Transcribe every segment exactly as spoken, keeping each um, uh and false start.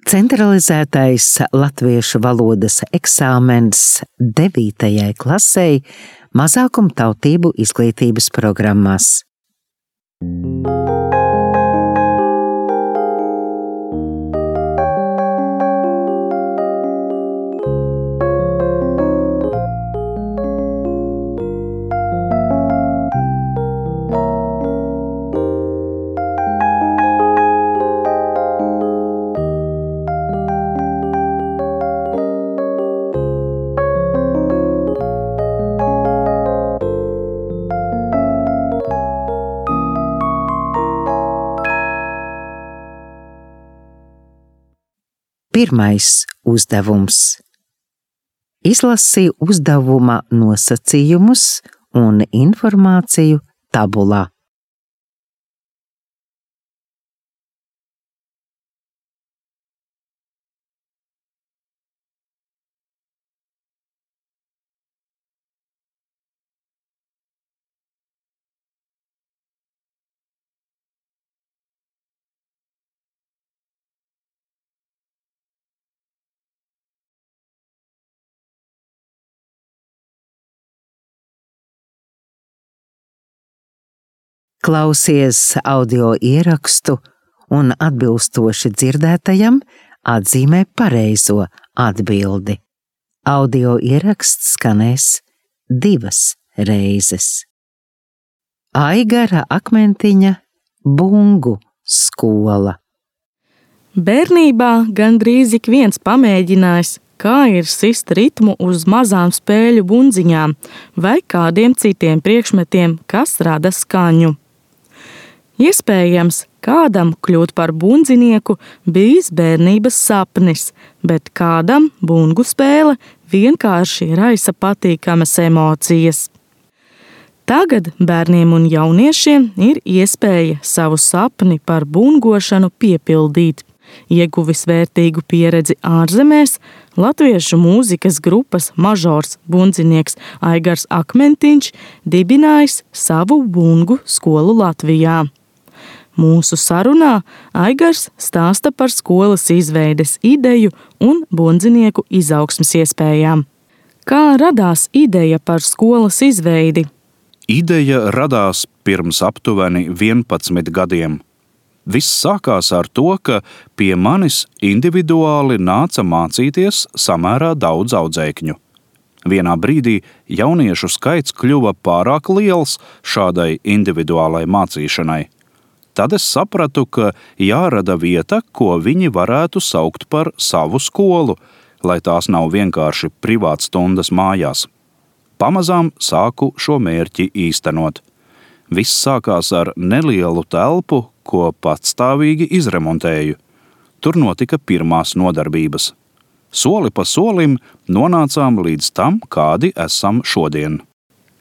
Centralizētais latviešu valodas eksāmens devītajai klasei mazākumtautību izglītības programmās. Pirmais uzdevums. Izlasi uzdevuma nosacījumus un informāciju tabulā. Klausies audio ierakstu un atbilstoši dzirdētajam atzīmē pareizo atbildi. Audio ieraksts skanēs divas reizes. Aigara Akmentiņa Bungu skola. Bērnībā gandrīz ik viens pamēģinājis, kā ir sist ritmu uz mazām spēļu bundziņām vai kādiem citiem priekšmetiem, kas rada skaņu. Iespējams, kādam kļūt par bundzinieku bijis bērnības sapnis, bet kādam bungu spēle vienkārši raisa patīkamas emocijas. Tagad bērniem un jauniešiem ir iespēja savu sapni par bungošanu piepildīt. Ieguvis vērtīgu pieredzi ārzemēs, latviešu mūzikas grupas mažors bundzinieks Aigars Akmentiņš dibinājis savu bungu skolu Latvijā. Mūsu sarunā Aigars stāsta par skolas izveides ideju un bundzinieku izaugsmes iespējām. Kā radās ideja par skolas izveidi? Ideja radās pirms aptuveni vienpadsmit gadiem. Viss sākās ar to, ka pie manis individuāli nāca mācīties samērā daudz audzēkņu. Vienā brīdī jauniešu skaits kļuva pārāk liels šādai individuālai mācīšanai. Tad es sapratu, ka jārada vieta, ko viņi varētu saukt par savu skolu, lai tās nav vienkārši privātstundas mājās. Pamazām sāku šo mērķi īstenot. Viss sākās ar nelielu telpu, ko patstāvīgi izremontēju. Tur notika pirmās nodarbības. Soli pa solim nonācām līdz tam, kādi esam šodien.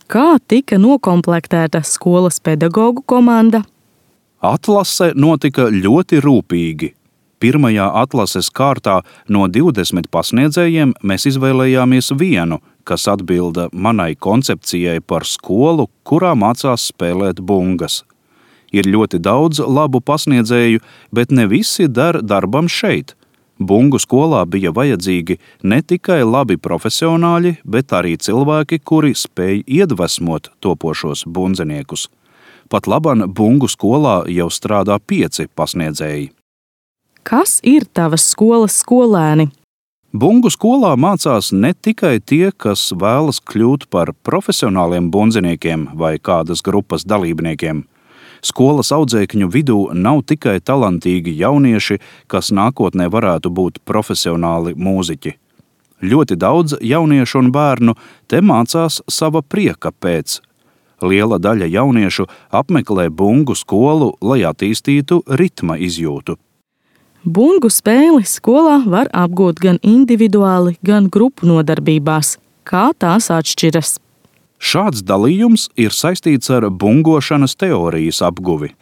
Kā tika nokomplektēta skolas pedagogu komanda? Atlase notika ļoti rūpīgi. Pirmajā atlases kārtā no divdesmit pasniedzējiem mēs izvēlējāmies vienu, kas atbilda manai koncepcijai par skolu, kurā mācās spēlēt bungas. Ir ļoti daudz labu pasniedzēju, bet ne visi der darbam šeit. Bungu skolā bija vajadzīgi ne tikai labi profesionāļi, bet arī cilvēki, kuri spēj iedvesmot topošos bundziniekus. Pat laban bungu skolā jau strādā pieci pasniedzēji. Kas ir tavas skolas skolēni? Bungu skolā mācās ne tikai tie, kas vēlas kļūt par profesionāliem bundziniekiem vai kādas grupas dalībniekiem. Skolas audzēkņu vidū nav tikai talantīgi jaunieši, kas nākotnē varētu būt profesionāli mūziķi. Ļoti daudz jauniešu un bērnu te mācās sava prieka pēc. Liela daļa jauniešu apmeklē bungu skolu, lai attīstītu ritma izjūtu. Bungu spēli skolā var apgūt gan individuāli, gan grupu nodarbībās. Kā tās atšķiras? Šāds dalījums ir saistīts ar bungošanas teorijas apguvi.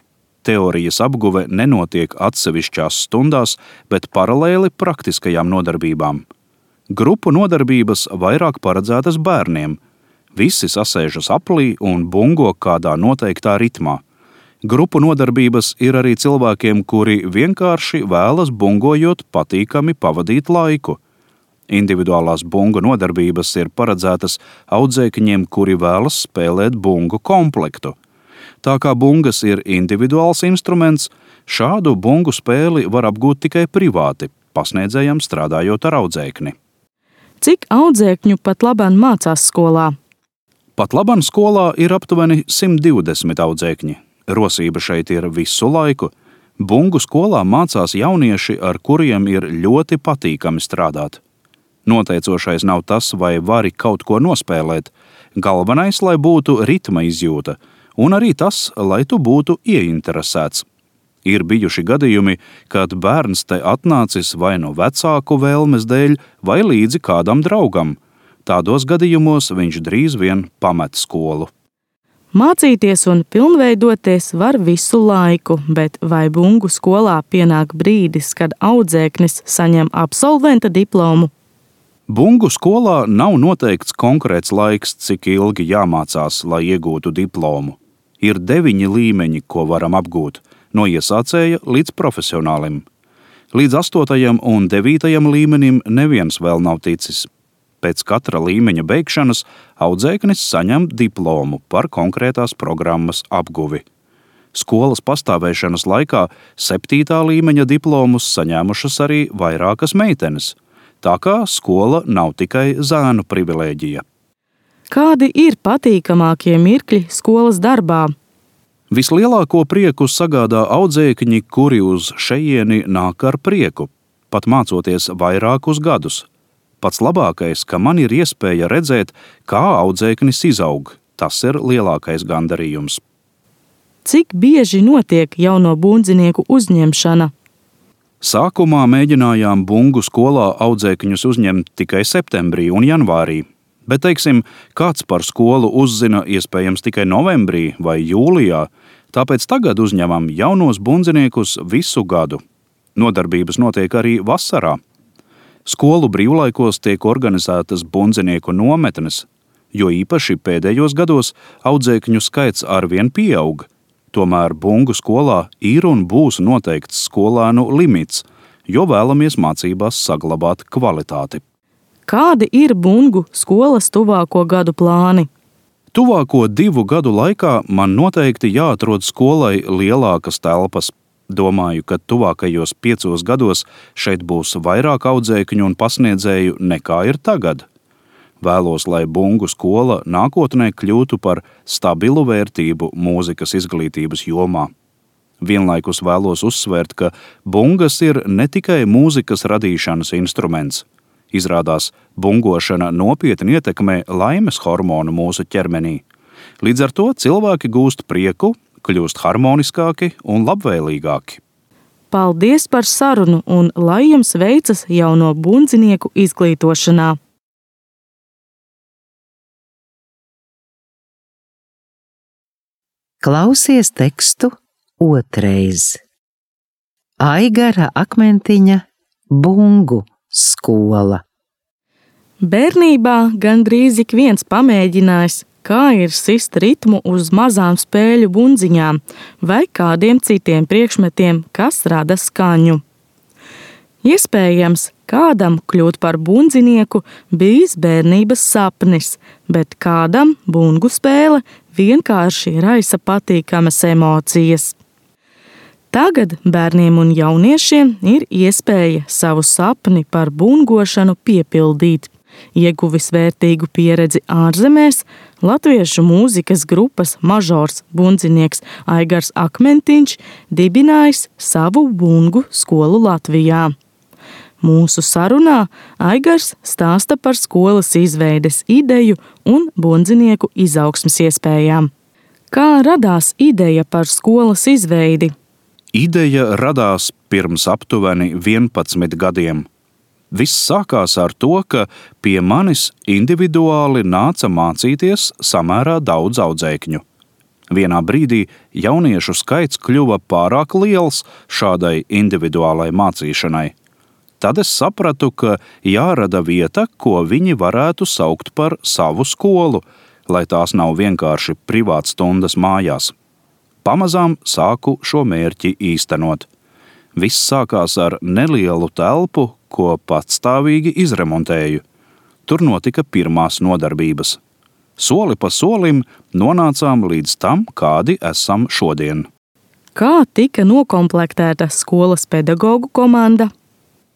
Teorijas apguve nenotiek atsevišķās stundās, bet paralēli praktiskajām nodarbībām. Grupu nodarbības vairāk paredzētas bērniem. Visi sasēžas aplī un bungo kādā noteiktā ritmā. Grupu nodarbības ir arī cilvēkiem, kuri vienkārši vēlas bungojot patīkami pavadīt laiku. Individuālās bungu nodarbības ir paredzētas audzēkņiem, kuri vēlas spēlēt bungu komplektu. Tā kā bungas ir individuāls instruments, šādu bungu spēli var apgūt tikai privāti, pasniedzējam strādājot ar audzēkni. Cik audzēkņu pat labāk mācās skolā? Pat labāk skolā ir aptuveni simt divdesmit audzēkņi. Rosība šeit ir visu laiku. Bungu skolā mācās jaunieši, ar kuriem ir ļoti patīkami strādāt. Noteicošais nav tas, vai vari kaut ko nospēlēt. Galvenais, lai būtu ritma izjūta, un arī tas, lai tu būtu ieinteresēts. Ir bijuši gadījumi, kad bērns te atnācis vai no vecāku vēlmes dēļ, vai līdzi kādam draugam. Tādos gadījumos viņš drīz vien pamet skolu. Mācīties un pilnveidoties var visu laiku, bet vai bungu skolā pienāk brīdis, kad audzēknis saņem absolventa diplomu? Bungu skolā nav noteikts konkrēts laiks, cik ilgi jāmācās, lai iegūtu diplomu. Ir deviņi līmeņi, ko varam apgūt, no iesācēja līdz profesionālim. Līdz astotajam un devītajam līmenim neviens vēl nav ticis. Pēc katra līmeņa beigšanas audzēknis saņem diplomu par konkrētās programmas apguvi. Skolas pastāvēšanas laikā septītā līmeņa diplomus saņēmušas arī vairākas meitenes. Tā kā skola nav tikai zēnu privilēģija. Kādi ir patīkamākie mirkļi skolas darbā? Vislielāko prieku sagādā audzēkņi, kuri uz šejieni nāk ar prieku, pat mācoties vairākus gadus. Pats labākais, ka man ir iespēja redzēt, kā audzēknis izaug. Tas ir lielākais gandarījums. Cik bieži notiek jauno bundzinieku uzņemšana? Sākumā mēģinājām bungu skolā audzēkņus uzņemt tikai septembrī un janvārī. Bet, teiksim, kāds par skolu uzzina iespējams tikai novembrī vai jūlijā, tāpēc tagad uzņemam jaunos bundziniekus visu gadu. Nodarbības notiek arī vasarā. Skolu brīvlaikos tiek organizētas bundzinieku nometnes, jo īpaši pēdējos gados audzēkņu skaits arvien pieaug. Tomēr bungu skolā ir un būs noteikts skolēnu limits, jo vēlamies mācībās saglabāt kvalitāti. Kādi ir bungu skolas tuvāko gadu plāni? Tuvāko divu gadu laikā man noteikti jāatrod skolai lielākas telpas. Domāju, ka tuvākajos piecos gados šeit būs vairāk audzēkņu un pasniedzēju nekā ir tagad. Vēlos, lai bungu skola nākotnē kļūtu par stabilu vērtību mūzikas izglītības jomā. Vienlaikus vēlos uzsvērt, ka bungas ir ne tikai mūzikas radīšanas instruments. Izrādās, bungošana nopietni ietekmē laimes hormonu mūsu ķermenī. Līdz ar to cilvēki gūst prieku, kļūst harmoniskāki un labvēlīgāki. Paldies par sarunu un lai jums veicas jauno bundzinieku izglītošanā! Klausies tekstu otrais. Aigara Akmentiņa bungu skola. Bērnībā gandrīz ik viens pamēģinājis, kā ir sist ritmu uz mazām spēļu bundziņām vai kādiem citiem priekšmetiem, kas rada skaņu. Iespējams, kādam kļūt par bundzinieku bijis bērnības sapnis, bet kādam bungu spēle vienkārši raisa patīkamas emocijas. Tagad bērniem un jauniešiem ir iespēja savu sapni par bungošanu piepildīt. Ieguvis vērtīgu pieredzi ārzemēs, latviešu mūzikas grupas mažors bundzinieks Aigars Akmentiņš dibinājis savu bungu skolu Latvijā. Mūsu sarunā Aigars stāsta par skolas izveides ideju un bundzinieku izaugsmes iespējām. Kā radās ideja par skolas izveidi? Ideja radās pirms aptuveni vienpadsmit gadiem. Viss sākās ar to, ka pie manis individuāli nāca mācīties samērā daudz audzēkņu. Vienā brīdī jauniešu skaits kļuva pārāk liels šādai individuālai mācīšanai. Tad es sapratu, ka jārada vieta, ko viņi varētu saukt par savu skolu, lai tās nav vienkārši privātstundas mājās. Pamazām sāku šo mērķi īstenot. Viss sākās ar nelielu telpu, ko patstāvīgi izremontēju. Tur notika pirmās nodarbības. Soli pa solim nonācām līdz tam, kādi esam šodien. Kā tika nokomplektēta skolas pedagogu komanda?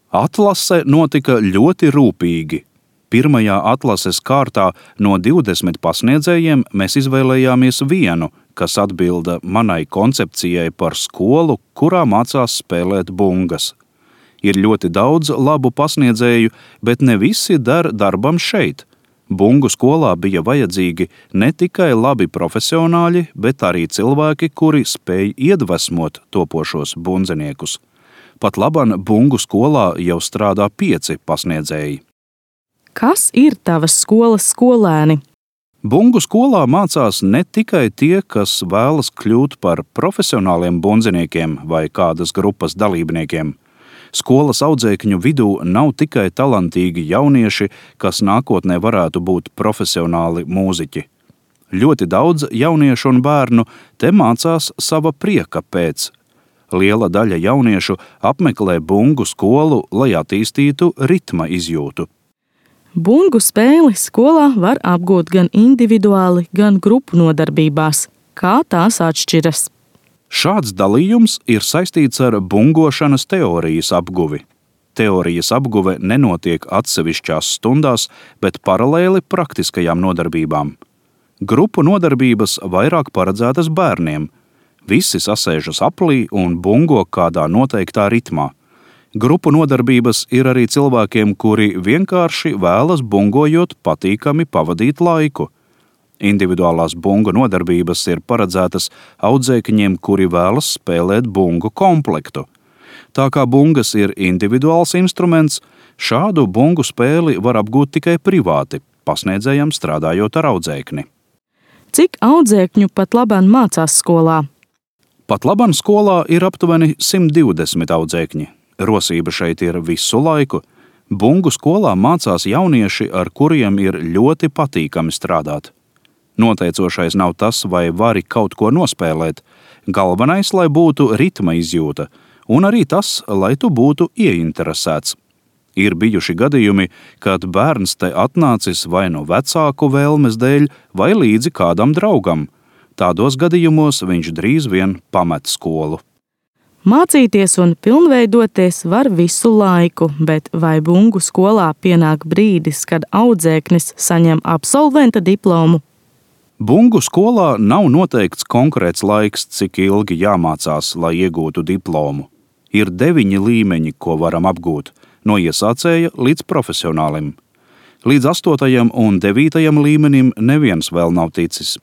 Atlase notika ļoti rūpīgi. Pirmajā atlases kārtā no divdesmit pasniedzējiem mēs izvēlējāmies vienu, kas atbilda manai koncepcijai par skolu, kurā mācās spēlēt bungas. Ir ļoti daudz labu pasniedzēju, bet ne visi der darbam šeit. Bungu skolā bija vajadzīgi ne tikai labi profesionāļi, bet arī cilvēki, kuri spēj iedvesmot topošos bundziniekus. Pat laban bungu skolā jau strādā pieci pasniedzēji. Kas ir tavas skolas skolēni? Bungu skolā mācās ne tikai tie, kas vēlas kļūt par profesionāliem bundziniekiem vai kādas grupas dalībniekiem. Skolas audzēkņu vidū nav tikai talantīgi jaunieši, kas nākotnē varētu būt profesionāli mūziķi. Ļoti daudz jauniešu un bērnu te mācās sava prieka pēc. Liela daļa jauniešu apmeklē bungu skolu, lai attīstītu ritma izjūtu. Bungu spēli skolā var apgūt gan individuāli, gan grupu nodarbībās. Kā tās atšķiras? Šāds dalījums ir saistīts ar bungošanas teorijas apguvi. Teorijas apguve nenotiek atsevišķās stundās, bet paralēli praktiskajām nodarbībām. Grupu nodarbības vairāk paredzētas bērniem. Visi sasēžas aplī un bungo kādā noteiktā ritmā. Grupu nodarbības ir arī cilvēkiem, kuri vienkārši vēlas bungojot patīkami pavadīt laiku. Individuālās bungu nodarbības ir paredzētas audzēkņiem, kuri vēlas spēlēt bungu komplektu. Tā kā bungas ir individuāls instruments, šādu bungu spēli var apgūt tikai privāti, pasniedzējam strādājot ar audzēkni. Cik audzēkņu pat labāk mācās skolā? Pat labāk skolā ir aptuveni simt divdesmit audzēkņi. Rosība šeit ir visu laiku. Bungu skolā mācās jaunieši, ar kuriem ir ļoti patīkami strādāt. Noteicošais nav tas, vai vari kaut ko nospēlēt. Galvenais, lai būtu ritma izjūta, un arī tas, lai tu būtu ieinteresēts. Ir bijuši gadījumi, kad bērns te atnācis vai no vecāku vēlmes dēļ, vai līdzi kādam draugam. Tādos gadījumos viņš drīz vien pamet skolu. Mācīties un pilnveidoties var visu laiku, bet vai bungu skolā pienāk brīdis, kad audzēknis saņem absolventa diplomu? Bungu skolā nav noteikts konkrēts laiks, cik ilgi jāmācās, lai iegūtu diplomu. Ir deviņi līmeņi, ko varam apgūt, no iesācēja līdz profesionālim. Līdz astotajam un devītajam līmenim neviens vēl nav ticis.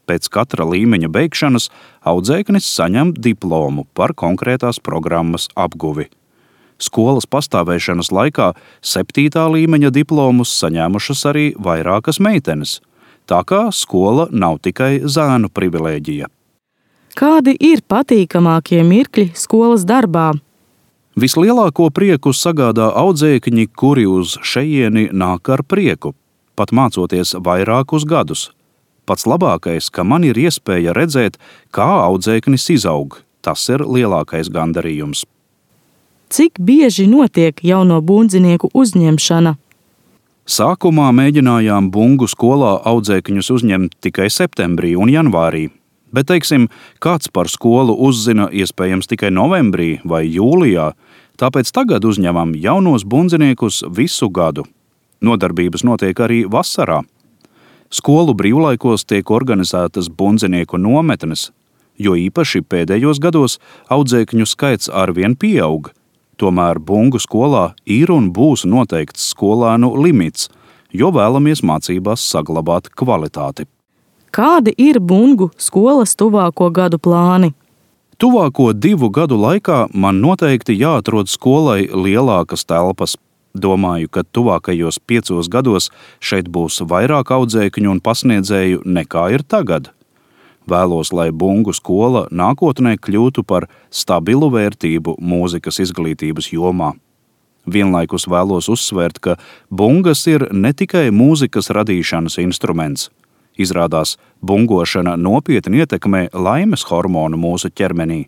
Pēc katra līmeņa beigšanas audzēknis saņem diplomu par konkrētās programmas apguvi. Skolas pastāvēšanas laikā septītā līmeņa diplomus saņēmušas arī vairākas meitenes. Tā kā skola nav tikai zēnu privilēģija. Kādi ir patīkamākie mirkļi skolas darbā? Vislielāko prieku sagādā audzēkņi, kuri uz šejieni nāk ar prieku, pat mācoties vairākus gadus. Pats labākais, ka man ir iespēja redzēt, kā audzēknis izaug. Tas ir lielākais gandarījums. Cik bieži notiek jauno bundzinieku uzņemšana? Sākumā mēģinājām bungu skolā audzēkņus uzņemt tikai septembrī un janvārī, bet, teiksim, kāds par skolu uzzina iespējams tikai novembrī vai jūlijā, tāpēc tagad uzņemam jaunos bundziniekus visu gadu. Nodarbības notiek arī vasarā. Skolu brīvlaikos tiek organizētas bundzinieku nometnes, jo īpaši pēdējos gados audzēkņu skaits arvien pieaug. Tomēr bungu skolā ir un būs noteikts skolēnu limits, jo vēlamies mācībās saglabāt kvalitāti. Kādi ir bungu skolas tuvāko gadu plāni? Tuvāko divu gadu laikā man noteikti jāatrod skolai lielākas telpas. Domāju, ka tuvākajos piecos gados šeit būs vairāk audzēkņu un pasniedzēju nekā ir tagad. Vēlos, lai bungu skola nākotnē kļūtu par stabilu vērtību mūzikas izglītības jomā. Vienlaikus vēlos uzsvērt, ka bungas ir ne tikai mūzikas radīšanas instruments. Izrādās, bungošana nopietni ietekmē laimes hormonu mūsu ķermenī.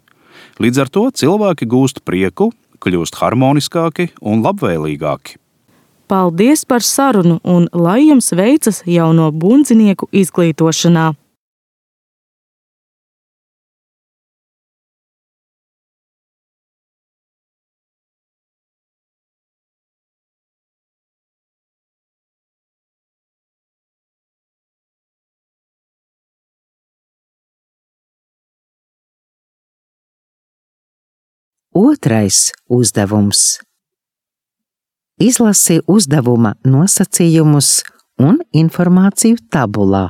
Līdz ar to cilvēki gūst prieku, kļūst harmoniskāki un labvēlīgāki. Paldies par sarunu un lai jums veicas jauno bundzinieku izglītošanā! Otrais uzdevums. Izlasi uzdevuma nosacījumus un informāciju tabulā.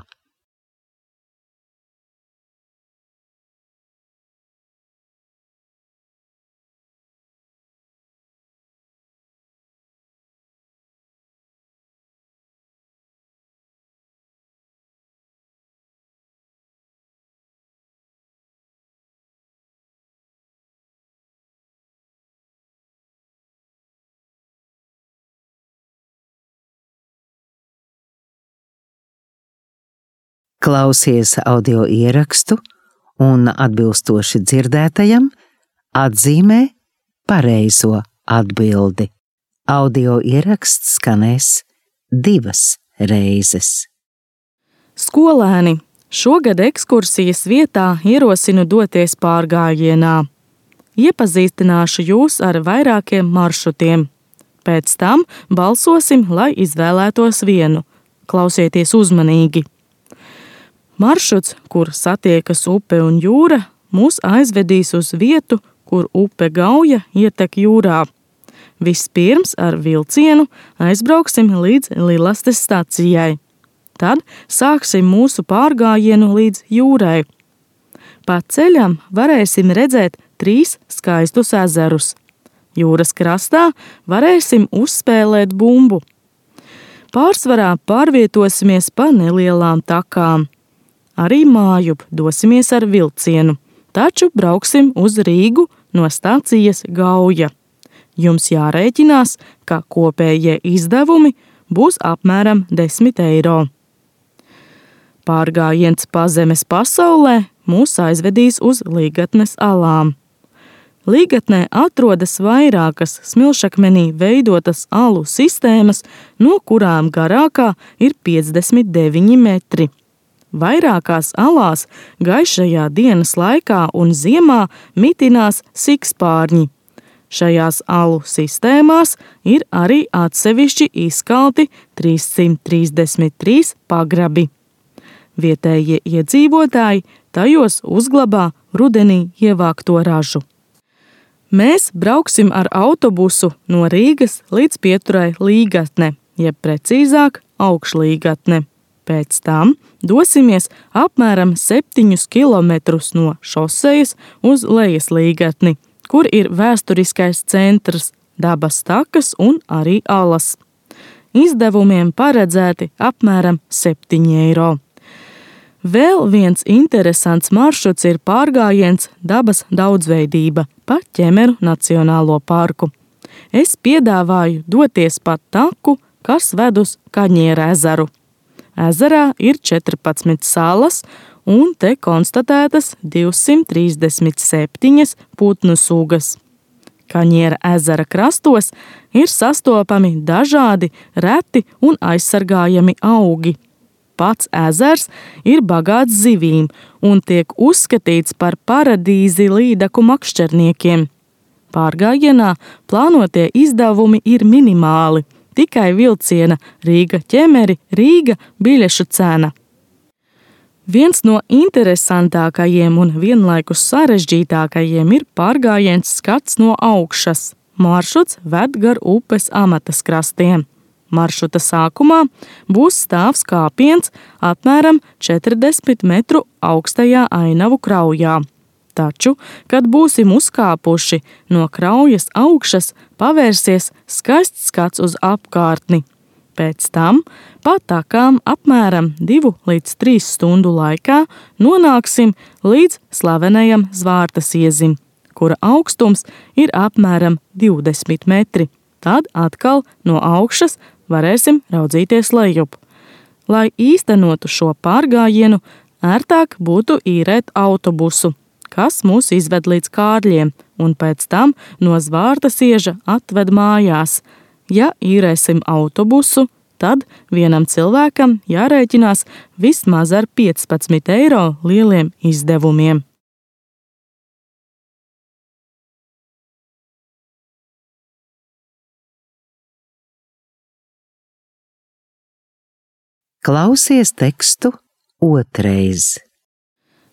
Klausies audio ierakstu un atbilstoši dzirdētajam atzīmē pareizo atbildi. Audio ieraksts skanēs divas reizes. Skolēni, šogad ekskursijas vietā ierosinu doties pārgājienā. Iepazīstināšu jūs ar vairākiem maršrutiem. Pēc tam balsosim, lai izvēlētos vienu. Klausieties uzmanīgi. Maršruts, kur satiekas upe un jūra, mūs aizvedīs uz vietu, kur upe Gauja ietek jūrā. Vispirms ar vilcienu aizbrauksim līdz Lilastes stacijai. Tad sāksim mūsu pārgājienu līdz jūrai. Pa ceļam varēsim redzēt trīs skaistus ezerus. Jūras krastā varēsim uzspēlēt bumbu. Pārsvarā pārvietosimies pa nelielām takām. Arī mājup dosimies ar vilcienu, taču brauksim uz Rīgu no stācijas Gauja. Jums jārēķinās, ka kopējie izdevumi būs apmēram desmit eiro. Pārgājiens pa zemes pasaulē mūs aizvedīs uz Līgatnes alām. Līgatnē atrodas vairākas smilšakmenī veidotas alu sistēmas, no kurām garākā ir piecdesmit deviņi metri. Vairākās alās gaišajā dienas laikā un ziemā mitinās sikspārņi. Šajās alu sistēmās ir arī atsevišķi izkalti trīssimt trīsdesmit trīs pagrabi. Vietējie iedzīvotāji tajos uzglabā rudenī ievākto ražu. Mēs brauksim ar autobusu no Rīgas līdz pieturai Līgatne, jeb precīzāk Augšlīgatne. Pēc tam dosimies apmēram septiņus kilometrus no šosejas uz Lejaslīgatni, kur ir vēsturiskais centrs, dabas takas un arī alas. Izdevumiem paredzēti apmēram septiņi eiro. Vēl viens interesants maršruts ir pārgājiens dabas daudzveidība pa Ķemeru Nacionālo parku. Es piedāvāju doties pa taku, kas ved uz Kaņiera ezeru. Ezerā ir četrpadsmit salas, un te konstatētas divsimt trīsdesmit septiņas putnu sugas. Kaņiera ezera krastos ir sastopami dažādi reti un aizsargājami augi. Pats ezers ir bagāts zivīm un tiek uzskatīts par paradīzi līdaku makšķerniekiem. Pārgājienā plānotie izdevumi ir minimāli. Tikai vilciena Rīga ķemeri Rīga biļešu cena. Viens no interesantākajiem un vienlaikus sarežģītākajiem ir pārgājiens skats no augšas. Maršruts ved gar upes Amatas krastiem. Maršruta sākumā būs stāvs kāpiens apmēram četrdesmit metru augstajā ainavu kraujā. Taču, kad būsim uzkāpuši no kraujas augšas, pavērsies skaists skats uz apkārtni. Pēc tam pa takām apmēram divu līdz trīs stundu laikā nonāksim līdz slavenajam Zvārtas iezim, kura augstums ir apmēram divdesmit metri. Tad atkal no augšas varēsim raudzīties lejup. Lai īstenotu šo pārgājienu, ērtāk būtu īrēt autobusu, kas mūs izved līdz Kārļiem, un pēc tam no Zvārtasieža atved mājās. Ja īrēsim autobusu, tad vienam cilvēkam jārēķinās vismaz ar piecpadsmit eiro lieliem izdevumiem. Klausies tekstu otrais.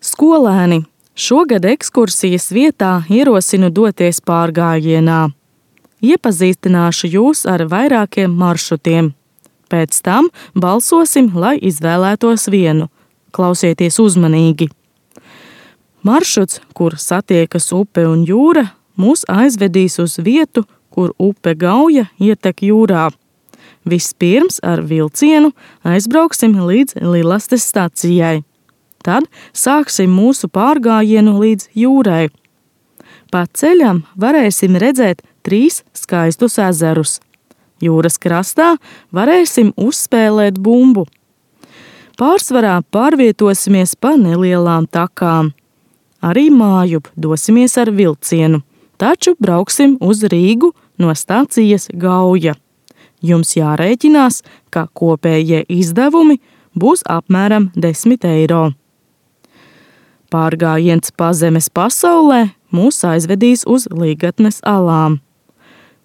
Skolēni, šogad ekskursijas vietā ierosinu doties pārgājienā. Iepazīstināšu jūs ar vairākiem maršrutiem. Pēc tam balsosim, lai izvēlētos vienu. Klausieties uzmanīgi. Maršruts, kur satiekas upe un jūra, mūs aizvedīs uz vietu, kur upe Gauja ietek jūrā. Vispirms ar vilcienu aizbrauksim līdz Lilastes stacijai. Tad sāksim mūsu pārgājienu līdz jūrai. Pa ceļam varēsim redzēt trīs skaistus ezerus. Jūras krastā varēsim uzspēlēt bumbu. Pārsvarā pārvietosimies pa nelielām takām. Arī mājup dosimies ar vilcienu, taču brauksim uz Rīgu no stācijas Gauja. Jums jārēķinās, ka kopējie izdevumi būs apmēram desmit eiro. Pārgājiens pa zemes pasaulē mūs aizvedīs uz Līgatnes alām.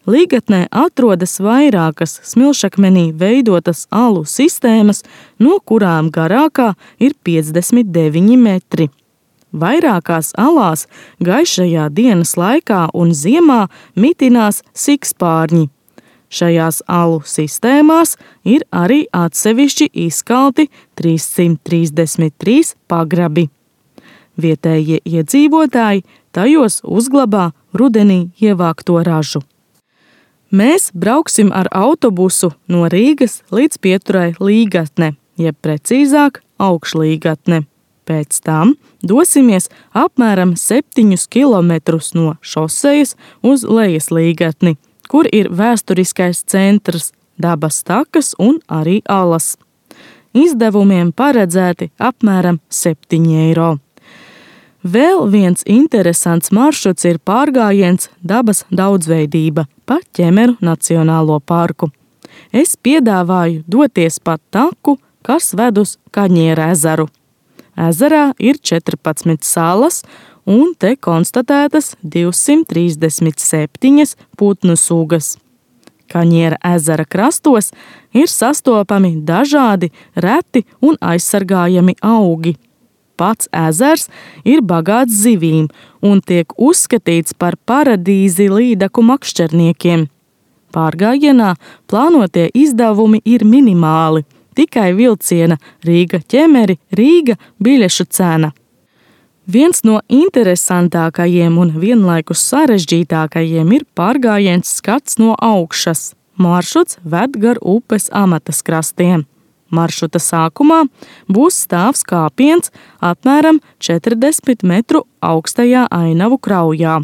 Līgatnē atrodas vairākas smilšakmenī veidotas alu sistēmas, no kurām garākā ir piecdesmit deviņi metri. Vairākās alās gaišajā dienas laikā un ziemā mitinās sikspārņi. Šajās alu sistēmās ir arī atsevišķi izkalti trīssimt trīsdesmit trīs pagrabi. Vietējie iedzīvotāji tajos uzglabā rudenī ievākto ražu. Mēs brauksim ar autobusu no Rīgas līdz pieturai Līgatne, jeb precīzāk Augšlīgatne. Pēc tam dosimies apmēram septiņus kilometrus no šosejas uz Lejaslīgatni, kur ir vēsturiskais centrs, dabas takas un arī alas. Izdevumiem paredzēti apmēram septiņi eiro. Vēl viens interesants maršruts ir pārgājiens dabas daudzveidība pa Ķemeru Nacionālo parku. Es piedāvāju doties pa taku, kas ved uz Kaņiera ezeru. Ezerā ir četrpadsmit salas, un te konstatētas divsimt trīsdesmit septiņas putnu sugas. Kaņiera ezera krastos ir sastopami dažādi reti un aizsargājami augi. Pats ezers ir bagāts zivīm un tiek uzskatīts par paradīzi līdaku makšķerniekiem. Pārgājienā plānotie izdevumi ir minimāli, tikai vilciena Rīga Ķemeri Rīga biļešu cena. Viens no interesantākajiem un vienlaikus sarežģītākajiem ir pārgājiens skats no augšas. Maršruts ved gar upes Amatas krastiem. Maršruta sākumā būs stāvs kāpiens apmēram četrdesmit metru augstajā ainavu kraujā.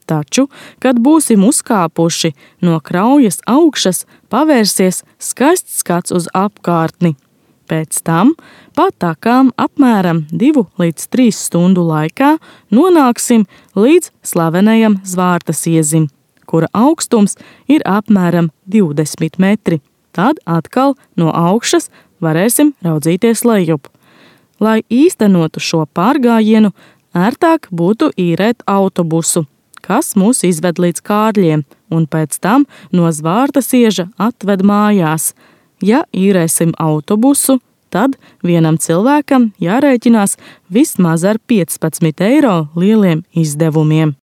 Taču, kad būsim uzkāpuši no kraujas augšas, pavērsies skaists skats uz apkārtni. Pēc tam pa takām apmēram divu līdz trīs stundu laikā nonāksim līdz slavenajam Zvārtasiezim, kura augstums ir apmēram divdesmit metri. Tad atkal no augšas varēsim raudzīties lejup. Lai īstenotu šo pārgājienu, ērtāk būtu īrēt autobusu, kas mūs izved līdz Kārļiem, un pēc tam no Zvārtasieža atved mājās. Ja īrēsim autobusu, tad vienam cilvēkam jārēķinās vismaz ar piecpadsmit eiro lieliem izdevumiem.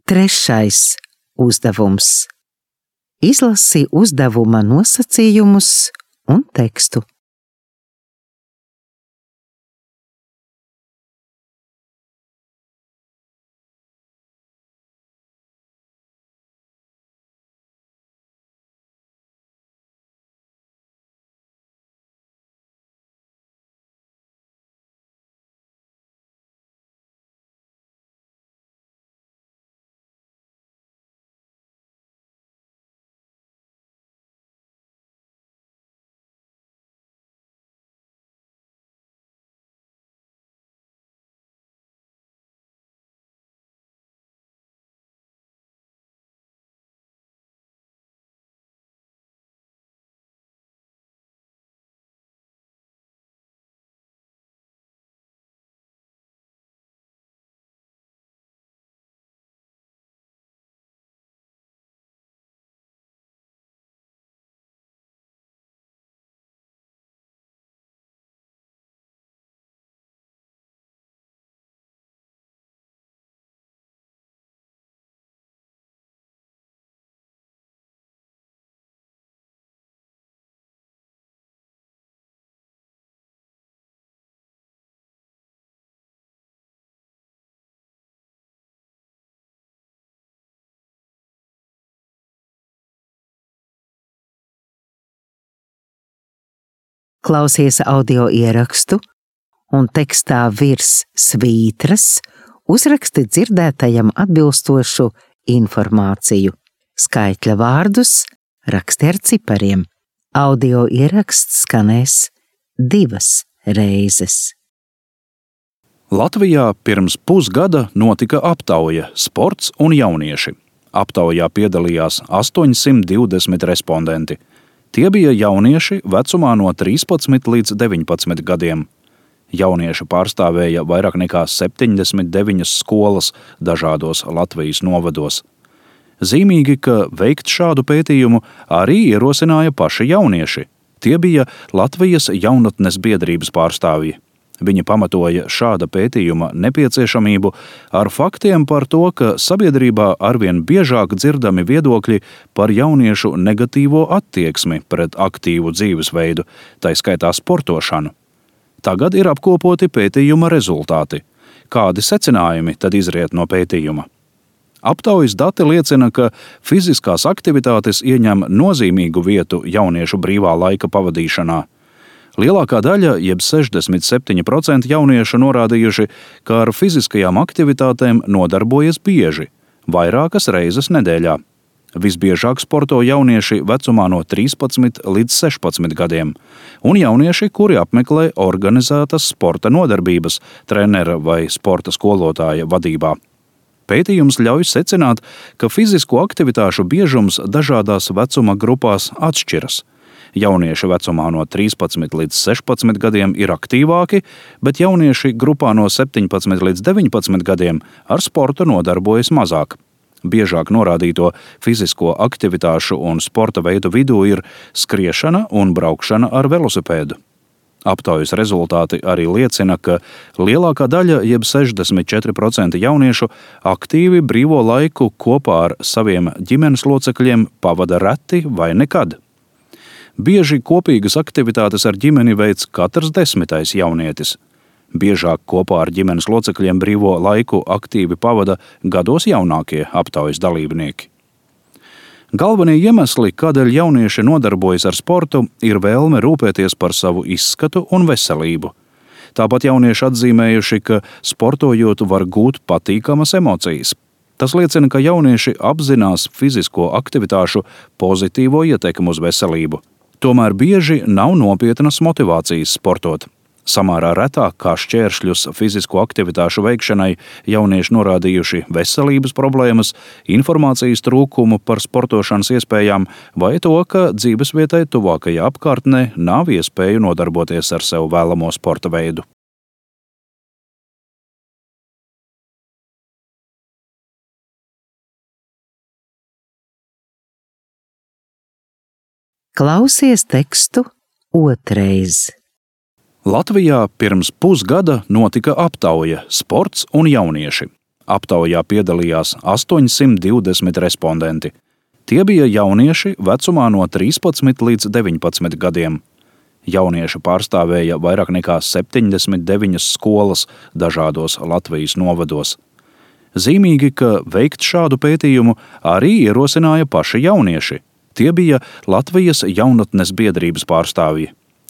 Trešais uzdevums. Izlasi uzdevuma nosacījumus un tekstu. Klausies audio ierakstu un tekstā virs svītras uzraksti dzirdētajam atbilstošu informāciju. Skaitļa vārdus raksti ar cipariem. Audio ieraksts skanēs divas reizes. Latvijā pirms pusgada notika aptauja Sports un jaunieši. Aptaujā piedalījās astoņsimt divdesmit respondenti. Tie bija jaunieši vecumā no trīspadsmit līdz deviņpadsmit gadiem. Jaunieši pārstāvēja vairāk nekā septiņdesmit deviņas skolas dažādos Latvijas novados. Zīmīgi, ka veikt šādu pētījumu arī ierosināja paši jaunieši. Tie bija Latvijas jaunatnes biedrības pārstāvji. Viņi pamatoja šāda pētījuma nepieciešamību ar faktiem par to, ka sabiedrībā arvien biežāk dzirdami viedokļi par jauniešu negatīvo attieksmi pret aktīvu dzīvesveidu, tai skaitā sportošanu. Tagad ir apkopoti pētījuma rezultāti. Kādi secinājumi tad izriet no pētījuma? Aptaujas dati liecina, ka fiziskās aktivitātes ieņem nozīmīgu vietu jauniešu brīvā laika pavadīšanā. Lielākā daļa, jeb sešdesmit septiņi procenti jauniešu norādījuši, ka ar fiziskajām aktivitātēm nodarbojas bieži, vairākas reizes nedēļā. Visbiežāk sporto jaunieši vecumā no trīspadsmit līdz sešpadsmit gadiem, un jaunieši, kuri apmeklē organizētas sporta nodarbības trenera vai sporta skolotāja vadībā. Pētījums ļauj secināt, ka fizisko aktivitāšu biežums dažādās vecuma grupās atšķiras. Jaunieši vecumā no trīspadsmit līdz sešpadsmit gadiem ir aktīvāki, bet jaunieši grupā no septiņpadsmit līdz deviņpadsmit gadiem ar sportu nodarbojas mazāk. Biežāk norādīto fizisko aktivitāšu un sporta veidu vidū ir skriešana un braukšana ar velosipēdu. Aptaujas rezultāti arī liecina, ka lielākā daļa, jeb sešdesmit četri procenti jauniešu, aktīvi brīvo laiku kopā ar saviem ģimenes locekļiem pavada reti vai nekad. Bieži kopīgas aktivitātes ar ģimeni veic katrs desmitais jaunietis. Biežāk kopā ar ģimenes locekļiem brīvo laiku aktīvi pavada gados jaunākie aptaujas dalībnieki. Galvenie iemesli, kādēļ jaunieši nodarbojas ar sportu, ir vēlme rūpēties par savu izskatu un veselību. Tāpat jaunieši atzīmējuši, ka sportojot var gūt patīkamas emocijas. Tas liecina, ka jaunieši apzinās fizisko aktivitāšu pozitīvo ietekmi uz veselību. Tomēr bieži nav nopietnas motivācijas sportot. Samērā retāk kā šķēršļus fizisko aktivitāšu veikšanai jaunieši norādījuši veselības problēmas, informācijas trūkumu par sportošanas iespējām vai to, ka dzīvesvietai tuvākajā apkārtnē nav iespēju nodarboties ar sev vēlamo sporta veidu. Klausies tekstu otrais. Latvijā pirms pusgada notika aptauja Sports un jaunieši. Aptaujā piedalījās astoņsimt divdesmit respondenti. Tie bija jaunieši vecumā no trīspadsmit līdz deviņpadsmit gadiem. Jaunieši pārstāvēja vairāk nekā septiņdesmit deviņas skolas dažādos Latvijas novados. Zīmīgi, ka veikt šādu pētījumu arī ierosināja paši jaunieši. Tie bija Latvijas jaunatnes biedrības pārstāvji.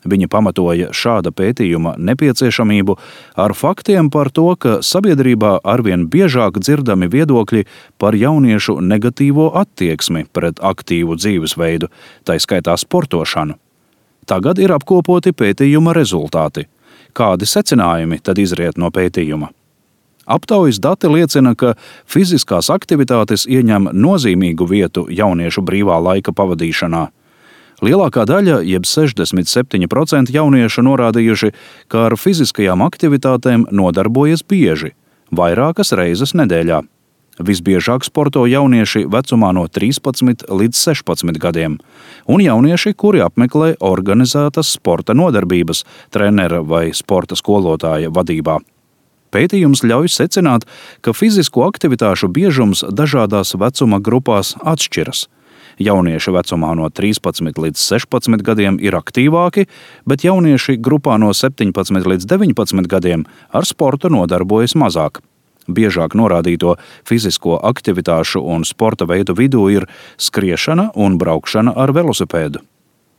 Viņi pamatoja šāda pētījuma nepieciešamību ar faktiem par to, ka sabiedrībā arvien biežāk dzirdami viedokļi par jauniešu negatīvo attieksmi pret aktīvu dzīvesveidu, tai skaitā sportošanu. Tagad ir apkopoti pētījuma rezultāti. Kādi secinājumi tad izriet no pētījuma? Aptaujas dati liecina, ka fiziskās aktivitātes ieņem nozīmīgu vietu jauniešu brīvā laika pavadīšanā. Lielākā daļa, jeb sešdesmit septiņi procenti jauniešu norādījuši, ka ar fiziskajām aktivitātēm nodarbojas bieži, vairākas reizes nedēļā. Visbiežāk sporto jaunieši vecumā no trīspadsmit līdz sešpadsmit gadiem, un jaunieši, kuri apmeklē organizētas sporta nodarbības trenera vai sporta skolotāja vadībā. Pētījums ļauj secināt, ka fizisko aktivitāšu biežums dažādās vecuma grupās atšķiras. Jaunieši vecumā no trīspadsmit līdz sešpadsmit gadiem ir aktīvāki, bet jaunieši grupā no septiņpadsmit līdz deviņpadsmit gadiem ar sportu nodarbojas mazāk. Biežāk norādīto fizisko aktivitāšu un sporta veidu vidū ir skriešana un braukšana ar velosipēdu.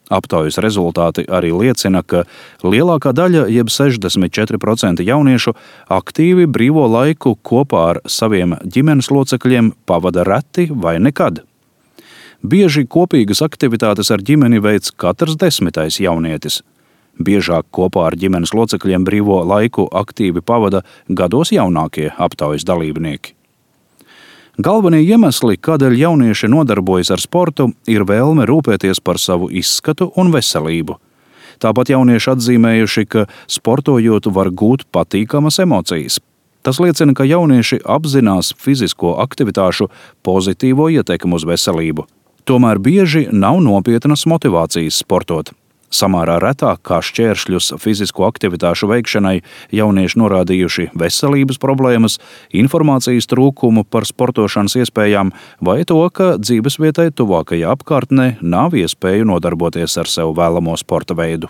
Aptaujas rezultāti arī liecina, ka lielākā daļa, jeb sešdesmit četri procenti jauniešu, aktīvi brīvo laiku kopā ar saviem ģimenes locekļiem pavada reti vai nekad. Bieži kopīgas aktivitātes ar ģimeni veic katrs desmitais jaunietis. Biežāk kopā ar ģimenes locekļiem brīvo laiku aktīvi pavada gados jaunākie aptaujas dalībnieki. Galvenie iemesli, kādēļ jaunieši nodarbojas ar sportu, ir vēlme rūpēties par savu izskatu un veselību. Tāpat jaunieši atzīmējuši, ka sportojot var gūt patīkamas emocijas. Tas liecina, ka jaunieši apzinās fizisko aktivitāšu pozitīvo ietekmu uz veselību. Tomēr bieži nav nopietnas motivācijas sportot. Samērā retāk kā šķēršļus fizisko aktivitāšu veikšanai jaunieši norādījuši veselības problēmas, informācijas trūkumu par sportošanas iespējām vai to, ka dzīvesvietai tuvākajā apkārtnē nav iespēju nodarboties ar sev vēlamo sporta veidu.